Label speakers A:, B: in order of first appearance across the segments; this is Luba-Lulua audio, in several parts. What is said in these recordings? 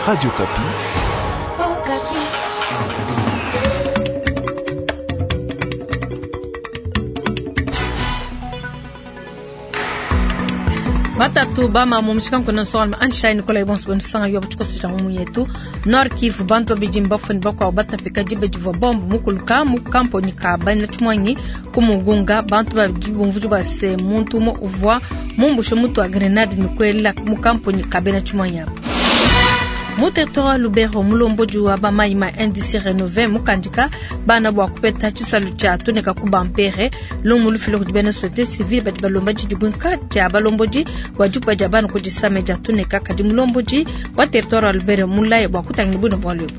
A: Radio Okapi.
B: Batatu bama mu mushikanko na nsongalume Anshai Nikolai bonso benu yo butshikoso tshia ngumu yetu. Nord Kivu bantu babidi mbafue ne bakuabu batapika diba divua bombe mukuluka mu kamponyi ka bena tshimuangi ku Mugunga. Bantu babidi bumvudi bua se muntu umue uvua mumbushe mutu wa grenade ne kuela mu kamponyi ka bena tshimuangi abu. Mu territoire wa Lubero, mulombodi wa bamayi ma NDC Renove mukandika bana bua kupeta tshisalu tshia tuneka ku bampere. Lumu lufila kudi bena société civile badi balomba didibwinka dia balombodi bua dikuba dia bana ku disame dia tuneka, kadi mulombodi wa territoire wa Lubero mulaye bua kutangila bwine bualu ebu.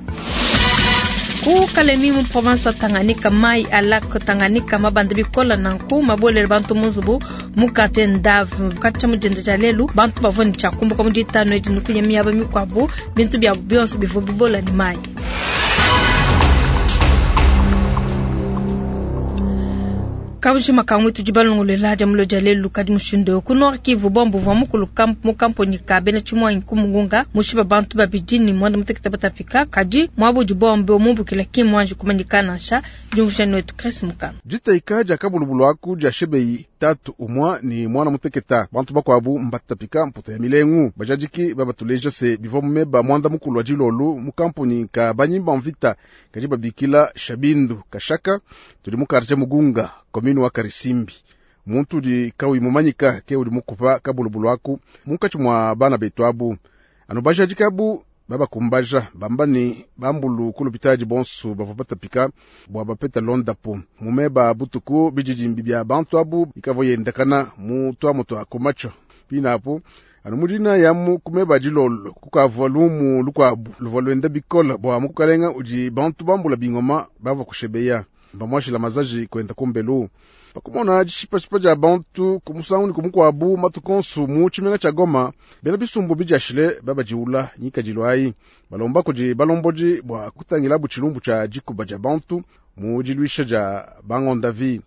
B: Ku Kalemi mu province wa Tanganyika, mai a lac Tanganyika mabanda bikola nanku mabolele bantu mu nzubu mu quartier Ndave katshia mu dienda dia lelu. Bantu bavua ne tshia kumbuka mu ditanu edi ne kuya miaba mikuabu, bintu biabu bionso bivua bibola ne mayi. Kabujima ka mwitu tudi balongolola dia mulo dia lelu kadi mushindu eu ku Nord Kivu bombe uvua mukuluka mu kamponyi ka bena tshimuangi ku Mugunga mushipa bantu babidi ne muanda mutekete batapika, kadi muaba udi bombe mumbukila ki muanji kumanyika nansha. Diumvuija wetu Chris Mukana.
C: Ditayika dia kabulubulu aku dia shebeyi tatu umua ni mwana muteketa bantu bakuabu mbatapika mputa ya milengu bajadiki babatuleja se bivua mumeba mwanda mukulu wa dilolu mu kampuni ka banyimba mvita kadi babikila Shabindu Kashaka tudi mu quartier Mugunga commune wa Karisimbi. Muntu udi kawi mumanyika ke udi mukupa kabulubulu aku munkatshi mua bana betu abu anu bajadiki abu babakumbaja bamba ni bambulu ku lupitadi bonso bavua batapika bua bapeta londapo mumeba butuku bididimbi bia bantu abu bikavua yendakana mu tuamu tua kumacho pinapo anu mudina yamu kumeba dilolo kukavua lumu lukuabu luvua luenda bikola bua mukalenga udi bantu bambula bingoma bavua kushebeya bamuashila mazaji kwenda kumbelu pakumona dishipashipa dia bantu kumusangu ne kumukuabu matuku onso mu tshimenga tshia Goma bena bisumbu bidiashile babadiula nyikadilu ayi balomba kudi balombodi bua kutangilabu tshilumbu tshia dikuba dia bantu mu diluisha dia bangondavi.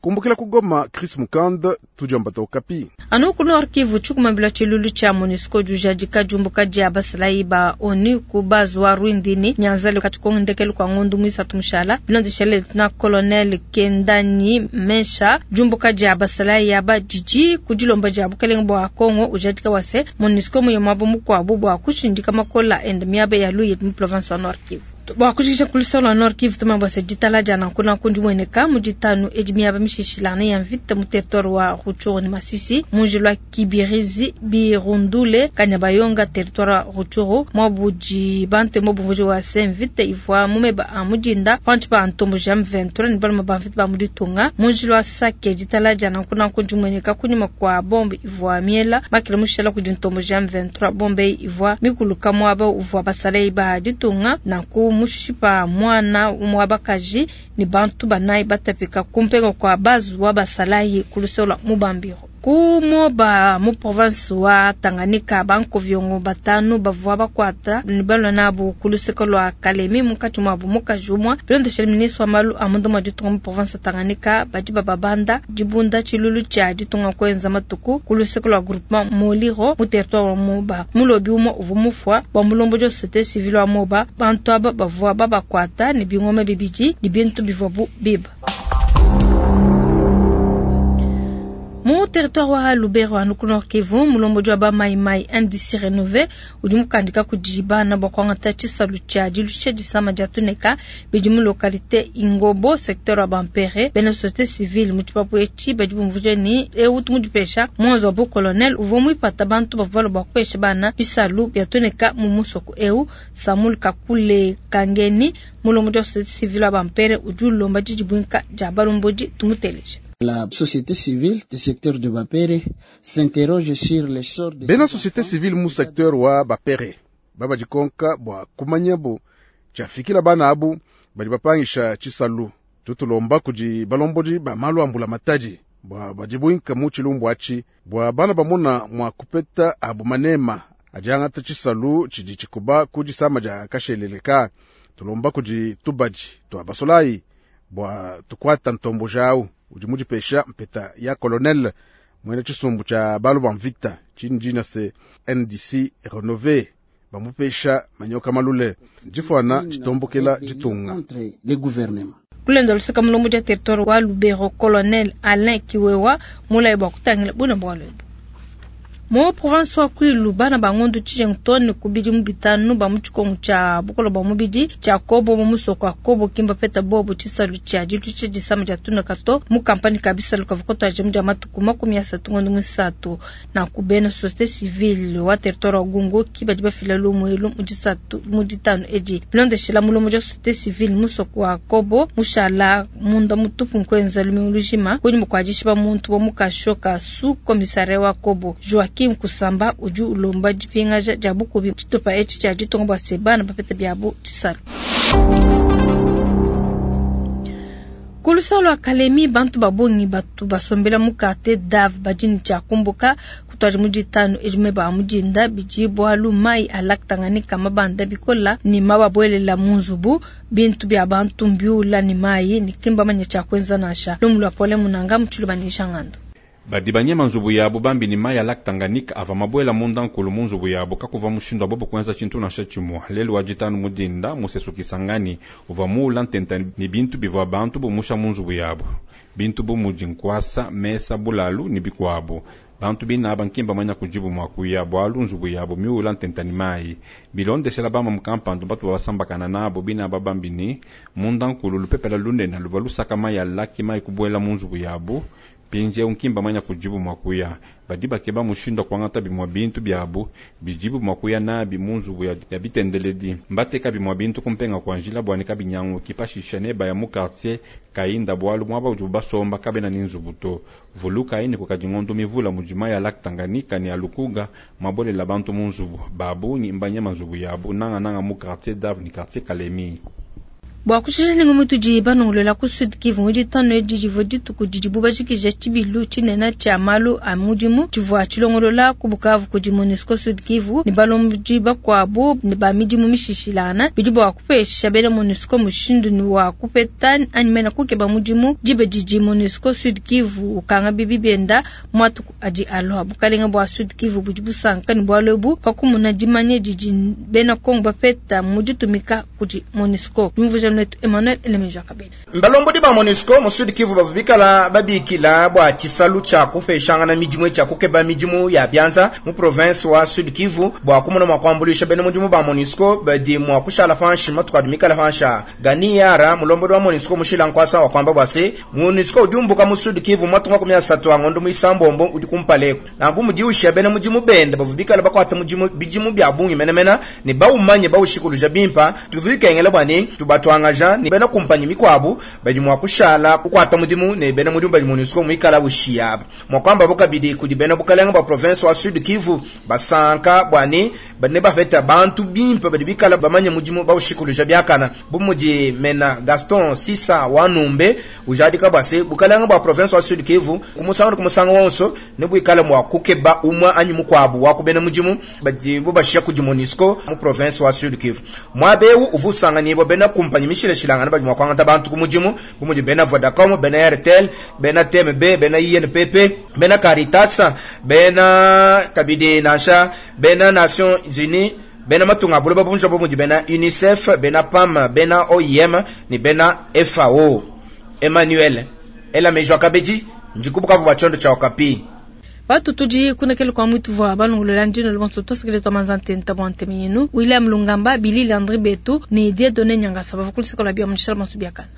C: Kumbukila ku Goma, Chris Mukanda, tudiomba Okapi.
B: Anu ku Nord Kivu tshikumambila tshilulu tshia MONUSCO jujadika diumbuka dia basalayi ba ONU ku base wa Rwindini Nyanzale kati kongendekelu kwa ngondu mwisatu mushala bilondeshele lieutenant colonel Kendani Mensha diumbuka dia basalayi aba didi ku dilomba dia bukelenge bua Kongo ujadika wase MONUSCO muye mwabo mukuabu bua kushindika makola ende miaba ya luye mu province wa Nord Kivu. Bua kujikisha kulusolo lua Nord Kivu tumambua se ditala dia nanku nanku ndimueneka mu ditanu edi miaba mishishilana ya mvita mu territoire wa Rutshuru ne Masisi munji lwa Kibirizi Birundule Kanyabayonga territoire wa Rutshuru mwabudi bantemo bumvuji wa se mvita ivua mumeba a mudinda panshi pa ntombo ja M23 ne baluma ba mvita ba muditunga munji lwa Sake ditala dia nanku nanku ndimueneka kunyima kwa bombe ivua miela makila mushala kudi ntombo ja M23 bombe ivua mikuluka muaba uvua basalei ba ditunga nanku mushipa mwana umwe bakaji ni bantu banayi batapika kumpenga kwa bazu wa basalayi kulusola mubambiro kumoba mu province wa Tanganyika bankoviongo batanu bavua bakwata ni balwa nabo kuluseko lwa Kalemi munkatshi muabu mukaji umue bilondeshele ministre wa malu a munda mua ditunga mu province wa Tanganyika badi bababanda dibunda tshilulu tshia ditunga kuenza matuku kuluseko lwa groupement Moliro mu territoire wa Moba mulobi umue uvua mufua bua mulombodi wa société civile wa Moba bantu aba bavua babakwata ne bingoma bibidi ne bintu bivuabu biba. Mu territoire wa Lubero anu ku Nord Kivu mulombodi wa bamaimai NDC Renove udi mukandika kudi bana bua kuangata tshisalu tshia dilusha disama dia tuneka bidi mu localité Ingobo secteur wa Bampere bena société civile mu tshipapu etshi badi bumvuija ni eu tumudipesha mwanzo wa colonel uvua muipata bantu bavua bua kupesha bana bisalu bia tuneka mu musoko eu Samuel Kakule Kangeni mulombodi wa société civile wa Bampere udi ulomba didibwinka dia balombodi tumuteleje.
D: La société civile du secteur de Bapere s'interroge sur le sort de
C: bena société civile mu secteur wa Bapere babadikonka bua kumanyabo tshiafikila bana abu badi bapangisha tshisalu tutulomba kudi balombodi ba malu ambula matadi bua badibwinka mu tshilumbu atshi bua bana bamona mua kupeta abu manema adiangata tshisalu tshidi tshikuba ku disama dia kasheleleka tulomba kudi tubadi tua basolayi bua tukwata ntombo jawu udi mudipesha mpeta ya colonel mwene tshisumbu tshia balu ba mvita tshini dina se NDC renové. Bamupesha manyoka malule difuana ditombokela ditunga.
D: Contre le gouvernement.
B: Kulenda luseka mulombodi wa territoire wa Lubero Colonel Alain Kiwewa mulayi bua kutangila buna bualu ebu. Mu province wa Kwilu bana ba ngondu tshijengu too ne ku bidimu bitanu ba mu tshikongu tshia bukole bua mubidi tshia Kobo mu musoko wa Kobo ki mbapeta bobu tshisalu tshia diluisha disama dia tuneka to mu kampani ka bisalu kavua katuadija mu dia matuku 30 ngondo muisatu. Nanku bena societe civile wa territoire wa Gungu ki badi bafila lumu elu mu disatu mu ditanu edi. Bilondeshila mulombodi wa societe civile musoko wa Kobo mushala munda mutupu nkuenza lumingu lujima kunyima kua dishipa muntu wa mu kasho ka sous commissariat wa Kobo. Joachim Kusamba udi ulomba dipingaja dia bukubi tshitupa etshi tshia ditunga bua se bana bapeta biabu tshisalu. Ku luseke lua Kalemi, bantu ba bungi batu basombela mu quartier Dave badi ne tshia kumbuka kutuadi mu ditanu edi meba a mu dinda. Bidi bualu mayi a lac Tanganyika mabanda bikola ne mababuelela mu nzubu. Bintu bia bantu mbiula ne mayi ne ki mbamanye tshia kuenza nansha. Lumu lua Paulin Munanga mu Tshiluba ne Jean Ngandu.
A: Badi banyema nzubu yabu bambi ne mayi a lac Tanganyika avua mabuela munda nkulu mu nzubu yabu, kakuvua mushindu wa bobu kuenza tshintu nansha tshimua. Lelu wa ditanu mu dinda, musesu Kisangani uvua muula ntenta ne bintu bivua bantu bumusha mu nzubu yabu. Bintu bu mudi nkuasa, mesa, bulalu ne bikuabu. Bantu bine aba nki mbamanya kudibu mua kuya, bualu nzubu yabu miuula ntenta ne mayi. Bilondeshela bamamu kampandu batu babasambakana nabu, bine aba bambi ne, munda nkulu lupepela lunene luvua lusaka mayi a lac, mayi kubuela mu nzubu yabu. Mpindieu nki mbamanya kudibu mua kuya. Badi bakeba mushindu wa kuangata bimue bintu biabu bidibu mua kuya nabi mu nzubu ya bitendeledi. Mbateka bimue bintu kumpenga kua njila bua ne kabinyanguki. Pashishe nebaya mu kartie Kayinda bualu muaba udibu basomba kabena ne nzubu to. Vulukayi ne, kukadi ngondo mivula mudi mayi a Lac Tanganyika ne a Lukuga mabuelela bantu mu nzubu. Ba bungi mbanyema nzubu yabu, nangananga mu kartie Dave ne kartie Kalemi.
B: Bua kushisha ne ngumu itudi banongolola ku Sud Kivu, mu ditanu edi divua dituku didibu bajikija tshibilu tshinene tshia malu a mudimu tshivua tshilongolola ku Bukavu kudi Monusco Sud Kivu ne balombodi bakuabu ba midimu mishishilangana. Bidi bua kupesha bena Monusco mushindu ne wa kupeta anyi mena kukeba mudimu diba didi Monusco Sud Kivu ukanga bibi bienda mu matuku adi alua. Bukalenga bua Sud Kivu budi busanka ne bualu ebu pa kumona dimanya didi bena Congo bapeta mu ditumika kudi Monusco. Diumvuija netu Emmanuel Elemeja Kabedi.
E: Balombodi ba Monusco mu Sud Kivu bavua bikala babikila bua tshisalu tshia kupeshangana midimu tshia kukeba midimu ya bianza mu province wa Sud Kivu bua kumona mua kuambuluisha bena mudimu ba Monusco badi mua kushala panshi matuku adi mikale panshi aa. Gani Yara, mulombodi wa Monusco mushila nkuasa wa kuamba bua se, Monusco udi umbuka mu Sud Kivu mu matuku 30 a ngondo muisambombo udi kumpala eku. Nanku mudi ushiya bena mudimu bende bavua bikale bakuata mudimu bidimu bia bungi menemene ne baumanye baushikuluja bimpe. Tuvua bikengela bua ne tubatuangaja ne bena kumpanyi mikuabu badi mua kushala kukuata mudimu ne bena mudimu badi Monusco muikala ushiya aba. Mua kuambabo kabidi kudi bena bukalenga bua province wa Sud Kivu basanka bua ne badi ne bapeta bantu bimpe badi bikala bamanye mudimu baushikuluja biakana, bu mudi mena Gaston Sisa wa Numbe ujadika bua se bukalenga bua province wa Sud Kivu ku musangu ne ku musangu wonso ne buikale mua kukeba umue anyi mukuabu wa ku bena mudimu badibu bashiya kudi Monusco mu province wa Sud Kivu. Muaba eu uvua usanganyibua bena kumpanyi mishilashilangane badi mua kuangata bantu ku mudimu bu mudi bena Vodacom, bena Airtel, bena TMB, bena INPP, bena Caritas, bena kabidi nansha bena Nations Unies, bena matunga a buloba bujima bu mudi bena UNICEF, bena PAM, bena OIM ne bena FAO. Emmanuel ela meji wakabedi ndi ku Bukavu bua tshiondo tshia Okapi.
B: Batu tudi kunekele kwa mwitu vwa balongolola ndino lubonso tosekele twa manza ntenta bwa nteme yenu William Lungamba Billy Landry Betu ni Dieudonné Nyangasa bavua kulisaka la bia munishala bonso biakana.